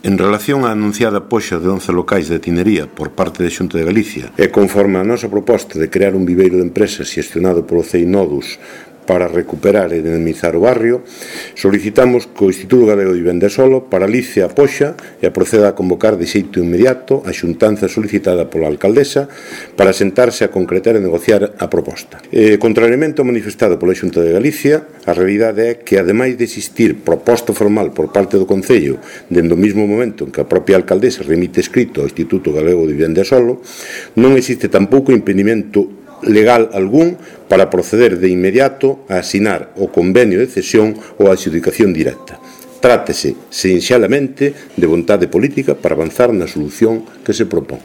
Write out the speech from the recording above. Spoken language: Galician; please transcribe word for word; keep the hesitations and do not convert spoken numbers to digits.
En relación á anunciada poxa de once locais de tinería por parte da Xunta de Galicia e conforme a nosa proposta de crear un viveiro de empresas xestionado polo CEINODUS para recuperar e dinamizar o barrio, solicitamos que o Instituto Galego de Vivenda e Solo paralice a poxa e proceda a convocar de xeito inmediato a xuntanza solicitada pola alcaldesa para sentarse a concretar e negociar a proposta. E, contrariamente ao manifestado pola Xunta de Galicia, a realidade é que, ademais de existir proposta formal por parte do Concello dende o mesmo momento en que a propia alcaldesa remite escrito ao Instituto Galego de Vivenda e Solo, non existe tampouco impedimento legal algún para proceder de inmediato a asinar o convenio de cesión ou a adxudicación directa. Trátese, sinxelamente, de vontade política para avanzar na solución que se propón.